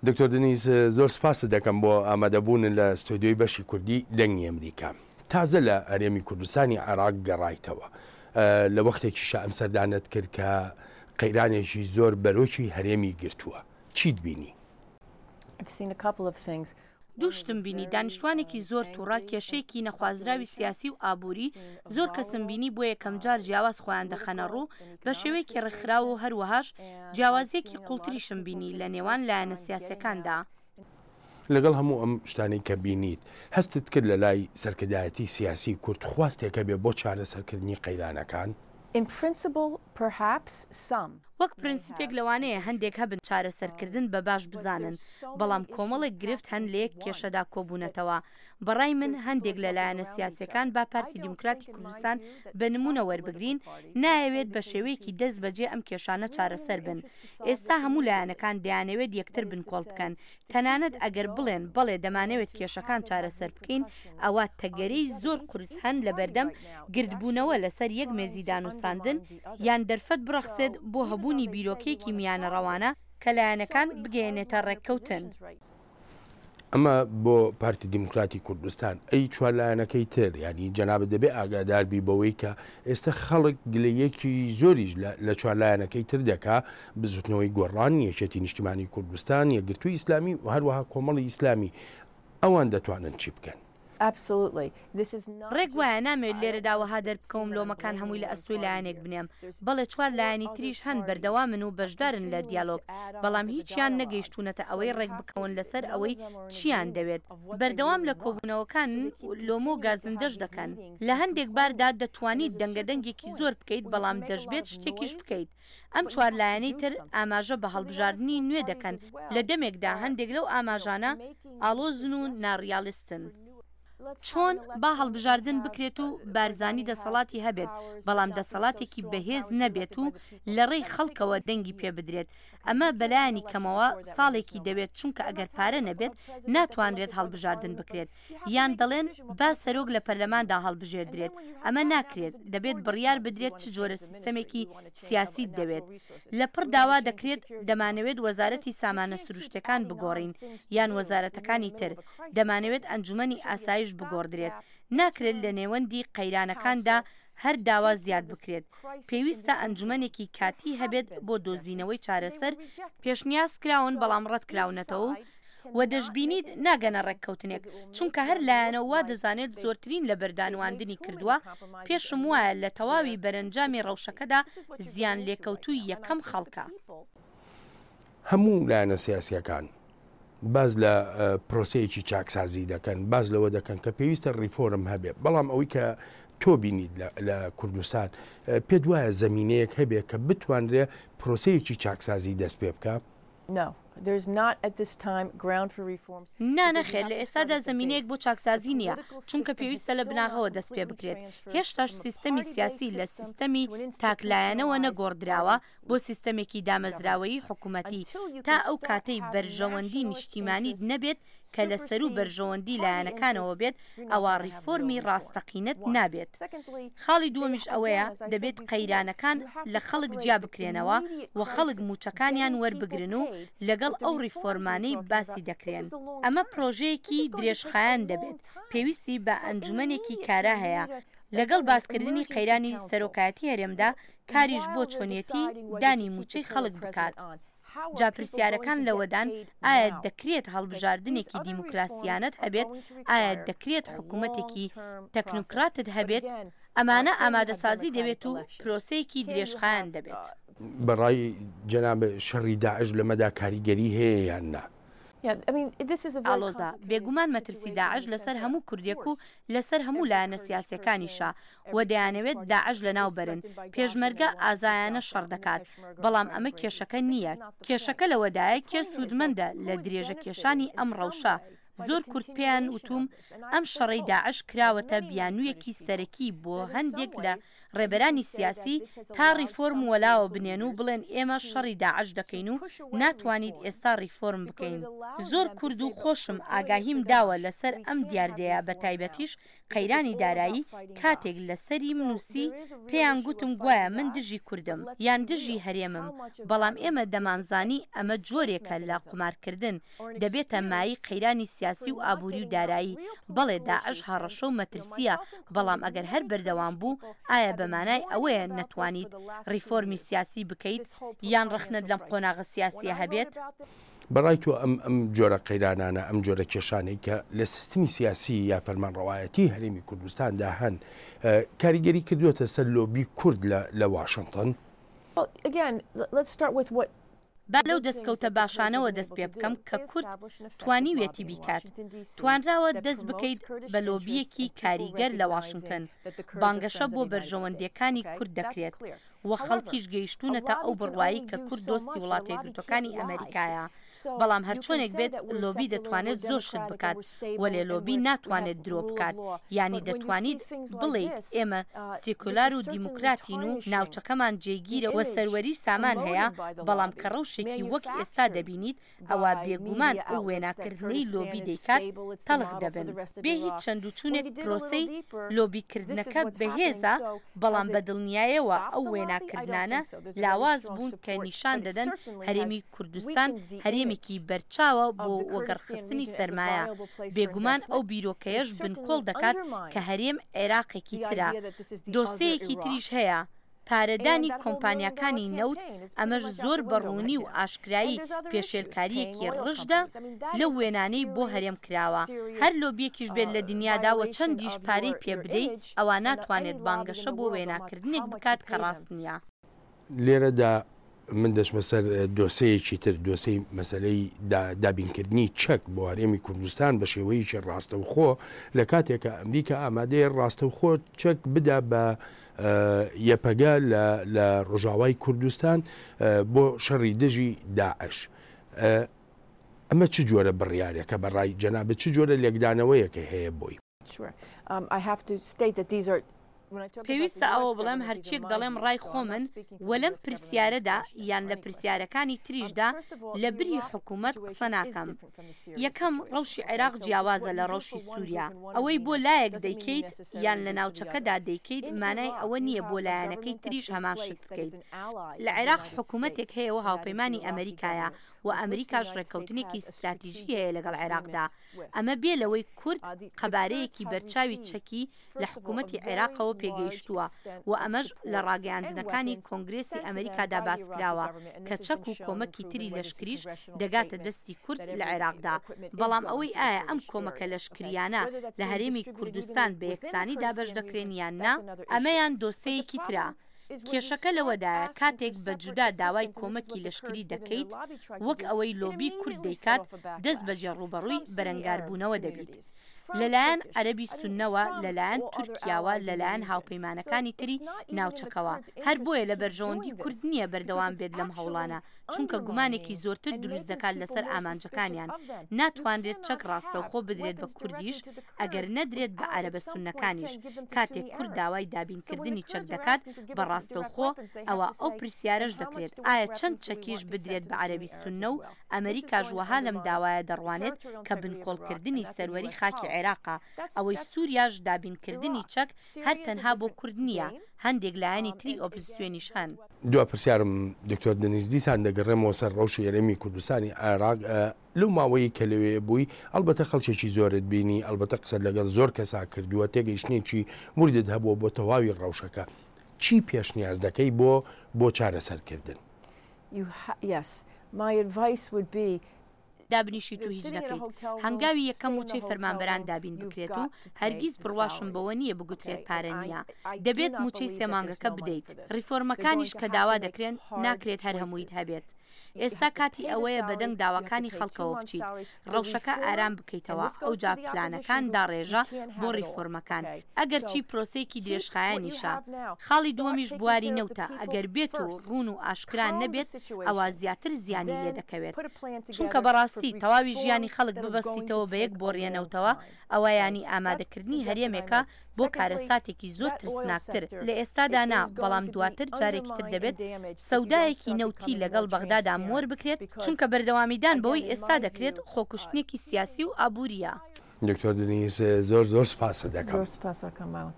دکتۆر دنیز زۆر سپاست دەکەم بۆ ئامادەبوونت لە ستۆدیۆی بەشی کوردی دەنگی ئەمریکا. تازە لە هەرێمی کوردستانی عێراق گەڕایتەوە. لە وەختێکیشا ئەم سەردانەت کرد کە قەیرانێکی زۆر بەرۆکی هەرێمی گرتووە. چیت بینی؟ دوو شتم بینی، دانیشتوانێکی زۆر توڕە، کێشەیەکی نەخوازراوی سیاسی و ئابووری، زۆر کەسم بینی بۆ یەکەمجار جیاواز خۆیان دەخەنەڕوو بە شێوەیەکی ڕێکخراو و هەروەهاش جیاوازییەکی قوڵتریشم بینی لە نێوان لایەنە سیاسیەکاندا. لەگەڵ هەموو ئەم شتانەی کە بینیت، هەستت کرد لە لای سەرکردایەتی سیاسی کورد خواستێک هەبێ بۆ چارەسەرکردنی قەیرانەکان؟ In principle, perhaps some. وەک پرنسیپێک لەوانەیە هەندێک هەبن چارەسەرکردن بە باش بزانن، بەڵام کۆمەڵێک گرفت هەن لە یەک کێشەدا کۆبوونەتەوە. بە ڕای من هەندێک لە لایەنە سیاسیەکان با پارتی دیموکراتی کوردستان بە نموونە وەربگرین، نایەوێت بە شێوەیەکی دەست بەجێ ئەم کێشانە چارەسەر بن. ئێستا هەموو لایەنەکان دەیانەوێت یەکتر بنکۆڵ بکەن، تەنانەت ئەگەر بڵێن بەڵێ دەمانەوێت کێشەکان چارەسەر بکەین، ئەوا تەگەرەی زۆر قورس هەن لەبەردەم گردبوونەوە لەسەر یەک مێزی دانوستاندن، یان دەرفەت بڕەخسێت بۆ هەبوونی بیرۆکەیەکی میانەڕەوانە کە لایەنەکان بگەیەنێتە ڕێککەوتن. ئەمە بۆ پارتی دیموکراتی کوردستان، ئەی چوار لایەنەکەی تر، یانی جەنابت دەبێ ئاگادار بی بەوەی کە ئێستا خەڵک گلەیەکی زۆریش لە چوار لایەنەکەی تر دەکا، بزوتنەوەی گۆڕان، یەکێتی نیشتیمانی کوردستان، یەکگرتووی ئیسلامی و هەروەها کۆمەڵی ئیسلامی، ئەوان دەتوانن چی بکەن؟ ڕێک وایە، نامەوێت لێرەدا وەها دەربکەوم لۆمەکان هەمووی لە ئەستۆی لایەنێک بنێم، بەڵێ چوار لایەنی تریش هەن بەردەوامن و بەشدارن لە دیالۆگ، بەڵام هیچیان نەگەیشتوونەتە ئەوەی ڕێکبکەون لەسەر ئەوەی چییان دەوێت، بەردەوام لە کۆبوونەوەکانن و لۆمە و گازندەش دەکەن. لە هەندێک باردا دەتوانیت دەنگەدەنگێکی زۆر بکەیت، بەڵام دەشبێت شتێکیش بکەیت. ئەم چوار لایەنەی تر ئاماژە بە هەڵبژاردنی نوێ دەکەن لە دەمێکدا هەندێک لەو ئاماژانە ئاڵۆزن و ناڕیالیستن. چۆن با هەڵبژاردن بکرێت و بارزانی دەسەڵاتی هەبێت بەڵام دەسەڵاتێکی بەهێز نەبێت و لەڕێی خەڵکەوە دەنگی پێ بدرێت، ئەمە بەلایەنی کەمەوە ساڵێکی دەوێت چونکە ئەگەر پارە نەبێت ناتوانرێت هەڵبژاردن بکرێت. یان دەڵێن با سەرۆک لە پەرلەماندا هەڵبژێردرێت، ئەمە ناکرێت، دەبێت بڕیار بدرێت چ جۆرە سیستەمێکی سیاسیت دەوێت. لە پڕ داوا دەکرێت دەمانەوێت وەزارەتی سامانە سروشتیەکان بگۆڕین یان وەزارەتەکانی تر، دەمانەوێت ئەنجومەنی ئاسایش بگۆڕدرێت، ناکرێت لە نێوەندی قەیرانەکاندا هەر داوا زیاد بکرێت، پێویستە ئەنجومەنێکی کاتی هەبێت بۆ دۆزینەوەی چارەسەر، پێشنیاز کراون بەڵام ڕەتکراونەتەوە و و دەشبینیت ناگەنە ڕێککەوتنێک، چونکە هەر لایەنە و وا دەزانێت زۆرترین لەبەردانواندنی کردووە، پێشم وایە لە تەواوی بەرەنجامی ڕەوشەکەدا زیانلێکەوتووی یەکەم خەڵکە. هەموو لایەنە سیاسییەکان باس لە پرۆسەیەکی چاکسازی دەکەن، باس لەوە دەکەن کە پێویستە ڕیفۆرم هەبێ، بەڵام ئەوەی کە تۆ بینیت لە کوردستان پێت وایە زەمینەیەک هەبێ کە بتوانرێ پرۆسەیەکی چاکسازی دەست پێ بکا؟ نا نەخێر لە ئێستادا زەمینەیەک بۆ چاکسازی نییە، چونکە پێویستە لە بناغەوە دەست پێ بکرێت، هێشتاش سیستەمی سیاسی لە سیستەمی تاکلایەنەوە نەگۆڕدراوە بۆ سیستەمێکی دامەزراوەیی حکومەتی، تا ئەو کاتەی بەرژەوەندی نیشتیمانیت نەبێت کە لە سەروو بەرژەوەندی لایەنەکانەوە بێت ئەوا ڕیفۆرمی ڕاستەقینەت نابێت. خاڵی دووەمیش ئەوەیە دەبێت قەیرانەکان لە خەڵک جیا بکرێنەوە و خەڵک مووچەکانیان وەربگرن و لەگەڵ ئەو ڕیفۆرمانەی باسی دەکرێن. ئەمە پرۆژەیەکی درێژخایەن دەبێت، پێویستی بە ئەنجومەنێکی کارا هەیە، لەگەڵ باسکردنی قەیرانی سەرۆکایەتی هەرێمدا کاریش بۆ چۆنیەتی دانی مووچەی خەڵک بکات. جا پرسیارەکان لەوەدان ئایا دەکرێت هەڵبژاردنێکی دیموکراسیانەت هەبێت، ئایا دەکرێت حکومەتێکی تەکنۆکراتت هەبێت، ئەمانە ئامادەسازی دەوێت و پرۆسەیەکی درێژخایەن دەبێت. بە ڕای جەنابت شەڕی داعش لەمەدا کاریگەری هەیە یان نا؟ ئاڵۆزە، بێگومان مەترسی داعش لەسەر هەموو کوردێک و لەسەر هەموو لایەنە سیاسیەکانیشە و دەیانەوێت داعش لەناو بەرن، پێشمەرگە ئازایانە شەڕ دەکات، بەڵام ئەمە کێشەکە نییە، کێشەکە لەوەدایە کێ سوودمەندە لە درێژە کێشانی ئەم ڕەوشە؟ زۆر کورد پێیان وتووم ئەم شەڕەی داعش کراوەتە بیانوویەکی سەرەکی بۆ هەندێک لە ڕێبەرانی سیاسی تا ڕیفۆرم وەلاوە بنێن و بڵێن ئێمە شەڕی داعش دەکەین و ناتوانیت ئێستا ڕیفۆرم بکەین. زۆر کورد و خۆشم ئاگاهیم داوە لەسەر ئەم دیاردەیە بەتایبەتیش قەیرانی دارایی کاتێک لەسەریم نووسی پێیان گوتم گوایە من دژی کوردم یان دژی هەرێمم بەڵام ئێمە دەمانزانی ئەمە جۆرێکە لە قومارکردن دەبێتە مایەی قەیرانی سیاسی و ئابووری و دارایی، بەڵێ داعش هەڕەشە و مەترسییە، بەڵام ئەگەر هەر بەردەوام بوو، ئایا بە مانای ئەوەیە نەتوانیت ڕیفۆرمی سیاسی بکەیت یان ڕەخنەت لەم قۆناغە سیاسییە هەبێت؟ بە ڕای تۆ ئەم ئەم جۆرە قەیرانانە، ئەم جۆرە کێشانەی کە لە سیستمی سیاسی یا فەرمانڕەوایەتی هەرێمی کوردستاندا هەن، کاریگەری کردووەتە سەر لۆبی کورد لە لە واشنتن؟ با لەو دەستکەوتە باشانەوە دەست پێ بکەم کە کورد توانیویەتی بیکات، توانراوە دەست بکەیت بە لۆبییەکی کاریگەر لە واشنتن، بانگەشە بۆ بەرژەوەندییەکانی کورد دەکرێت و خەڵکیش گەیشتوونەتە ئەو بڕوایەی کە کورد دۆستی وڵاتەیەکگرتووەکانی ئەمەریکایە. بەڵام هەرچۆنێک بێت لۆبی دەتوانێت زۆر شت بکات، وەلێ لۆبی ناتوانێت درۆ بکات، یانی دەتوانیت بڵێیت ئێمە سیکۆلار و دیموکراتین و ناوچەکەمان جێگیرە و سەروەری سامان هەیە، بەڵام کە ڕەوشێکی وەک ئێستا دەبینیت ئەوا بێگومان ئەو وێناکردنەی لۆبی دەیکات تەڵخ دەبن. بێ هیچ چەندوچونێک پرۆسەی لۆبیکردنەکە بەهێزە، بەڵام بە دڵنیایەوە ئەو وێناکردنانە لاواز بوون کە نیشان دەدەن هەرێمی کوردستان هەرێمێکی بەرچاوە بۆ وەگەڕخستنی سەرمایە، بێگومان ئەو بیرۆکەیەش بنکۆڵ دەکات کە هەرێم عێراقێکی ترە. دۆسێیەکی تریش هەیە، پارەدانی کۆمپانیاکانی نەوت، ئەمەش زۆر بە ڕوونی و ئاشکرایی پێشێلکارییەکی ڕژدە لەو وێنانەی بۆ هەرێم کراوە. هەر لۆبییەکیش بێت لە دنیادا و چەندیش پارەی پێ بدەی ئەوا ناتوانێت بانگەشە بۆ وێناکردنێک بکات کە ڕاست نییە. لێرەدا من دەچمە سەر دۆسێیەکی تر، دۆسێی مەسەلەی دابینکردنی چەک بۆ هەرێمی کوردستان بە شێوەیەکی ڕاستەوخۆ، لە کاتێکا ئەمریکا ئامادەیە ڕاستەوخۆ چەک بدا بە یەپەگە لە ڕۆژاوای کوردستان بۆ شەڕی دژی داعش. ئەمە چ جۆرە بڕیارێکە بە ڕای جەنابت چ جۆرە لێکدانەوەیەکە هەیە بۆی؟ پێویستە ئەوە بڵێم هەرچیەک دەڵێم ڕای خۆمن وە لەم پرسیارەدا یان لە پرسیارەکانی تریشدا لە بری حکومەت قسە ناکەم. یەکەم ڕەوشی عێراق جیاوازە لە ڕەوشی سوریا. ئەوەی بۆ لایەک دەیکەیت یان لە ناوچەکەدا دەیکەیت مانای ئەوە نییە بۆ لایەنەکەی تریش هەمان شت بکەیت. لە عێراق حکومەتێک هەیە و هاوپەیمانی ئەمریکایە و ئەمریکاش ڕێککەوتنێکی ستراتیژی هەیە لەگەڵ عێراقدا. ئەمە بێ لەوەی کورد قەبارەیەکی بەرچاوی چەکی لە حکوومەتی عێراقەوە پێگەیشتووە و ئەمەش لە ڕاگەیاندنەکانی کۆنگرێسی ئەمریکادا باسکراوە کە چەک و کۆمەکی تری لەشکریش دەگاتە دەستی کورد لە عێراقدا بەڵام ئەوەی ئایا ئەم کۆمەکە لەشکریانە لە هەرێمی کوردستان بە یەکسانی دابەش دەکرێن یان نا ئەمەیان دۆسێیەکی ترە. کێشەکە لەوەدایە کاتێک بە جودا داوای کۆمەکی لەشکری دەکەیت وەک ئەوەی لۆبی کورد دەیکات دەست بەجێ ڕووبەڕووی بەرەنگاربوونەوە دەبیت لەلایەن عەرەبی سوننەوە لەلایەن تورکیاوە لەلایەن هاوپەیمانەکانی تری ناوچەکەوە هەر بۆیە لە بەرژەوەندی کورد نییە بەردەوام بێت لەم هەوڵانە چونکە گومانێکی زۆرتر دروست دەکات لەسەر ئامانجەکانیان، ناتوانرێت چەک ڕاستەوخۆ بدرێت بە کوردیش ئەگەر نەدرێت بە عەرەبە سوننەکانیش، کاتێک کورد داوای دابینکردنی چەک دەکات بە ڕاستەوخۆ ئەوا ئەو پرسیارەش دەکرێت ئایا چەند چەکیش بدرێت بە عەرەبی سوننە و ئەمریکاش وەها لەم داوایە دەڕوانێت کە بنکۆڵکردنی سەروەری خاکی عێراقە، ئەوەی سوریاش دابینکردنی چەک هەر تەنها بۆ کورد نییە هەندێک لایەنی تری ئۆپزسیۆنیش هەن. دوا پرسیارم دکتۆر دەنیز دیسان دەگەڕێمەوە سەر ڕەوشی هەرێمی کوردستانی عێراق لەو ماوەیەی کە لەوێ بووی ئەڵبەتە خەڵکێکی زۆرت بینی ئەڵبەتە قسەت لەگەڵ زۆر کەسا کردووە تێگەیشتنێکی وردت هەبووە بۆ تەواوی ڕەوشەکە چی پێشنیاز دەکەی بۆ بۆ چارەسەرکردن؟ Yes, my advice would be دابنیشیت و هیچ نەکەیت، هەنگاوی یەکەم مووچەی فەرمانبەران دابین بکرێت و هەرگیز بڕواشم بەوە نییە بگوترێت پارە نییە، دەبێت مووچەی سێ مانگەکە بدەیت، ڕیفۆرمەکانیش کە داوا دەکرێن ناکرێت هەر هەموویت هەبێت. ئێستا کاتی ئەوەیە بەدەنگ داواکانی خەڵکەوە بچیت، ڕەوشەکە ئارام بکەیتەوە، ئەوجا پلانەکان داڕێژە بۆ ڕیفۆرمەکان، ئەگەرچی پرۆسەیەکی درێژخایەنیشە. خاڵی دووەمیش بواری نەوتە، ئەگەر بێت و ڕوون و ئاشکرا نەبێت ئەوا زیاتر زیانی لێدەکەوێت، چونکە بەڕاستی تەواوی ژیانی خەڵک ببەستیتەوە بە یەک بۆڕیە نەوتەوە ئەوە یانی ئامادەکردنی هەرێمێکە بۆ کارەساتێکی زۆر ترسناکتر، لە ئێستادا نا، بەڵام دواتر جارێکی تر دەبێت سەودایەکی نەوتی لەگەڵ بەغدادا مۆر بکرێت، چونکە بەردەوامیدان بەوەی ئێستا دەکرێت خۆکوشتنێکی سیاسی و ئابوورییە. دکتۆر دنیس زۆر زۆر سوپاست دەکەم. زۆر سوپاس ئەکەم مامە.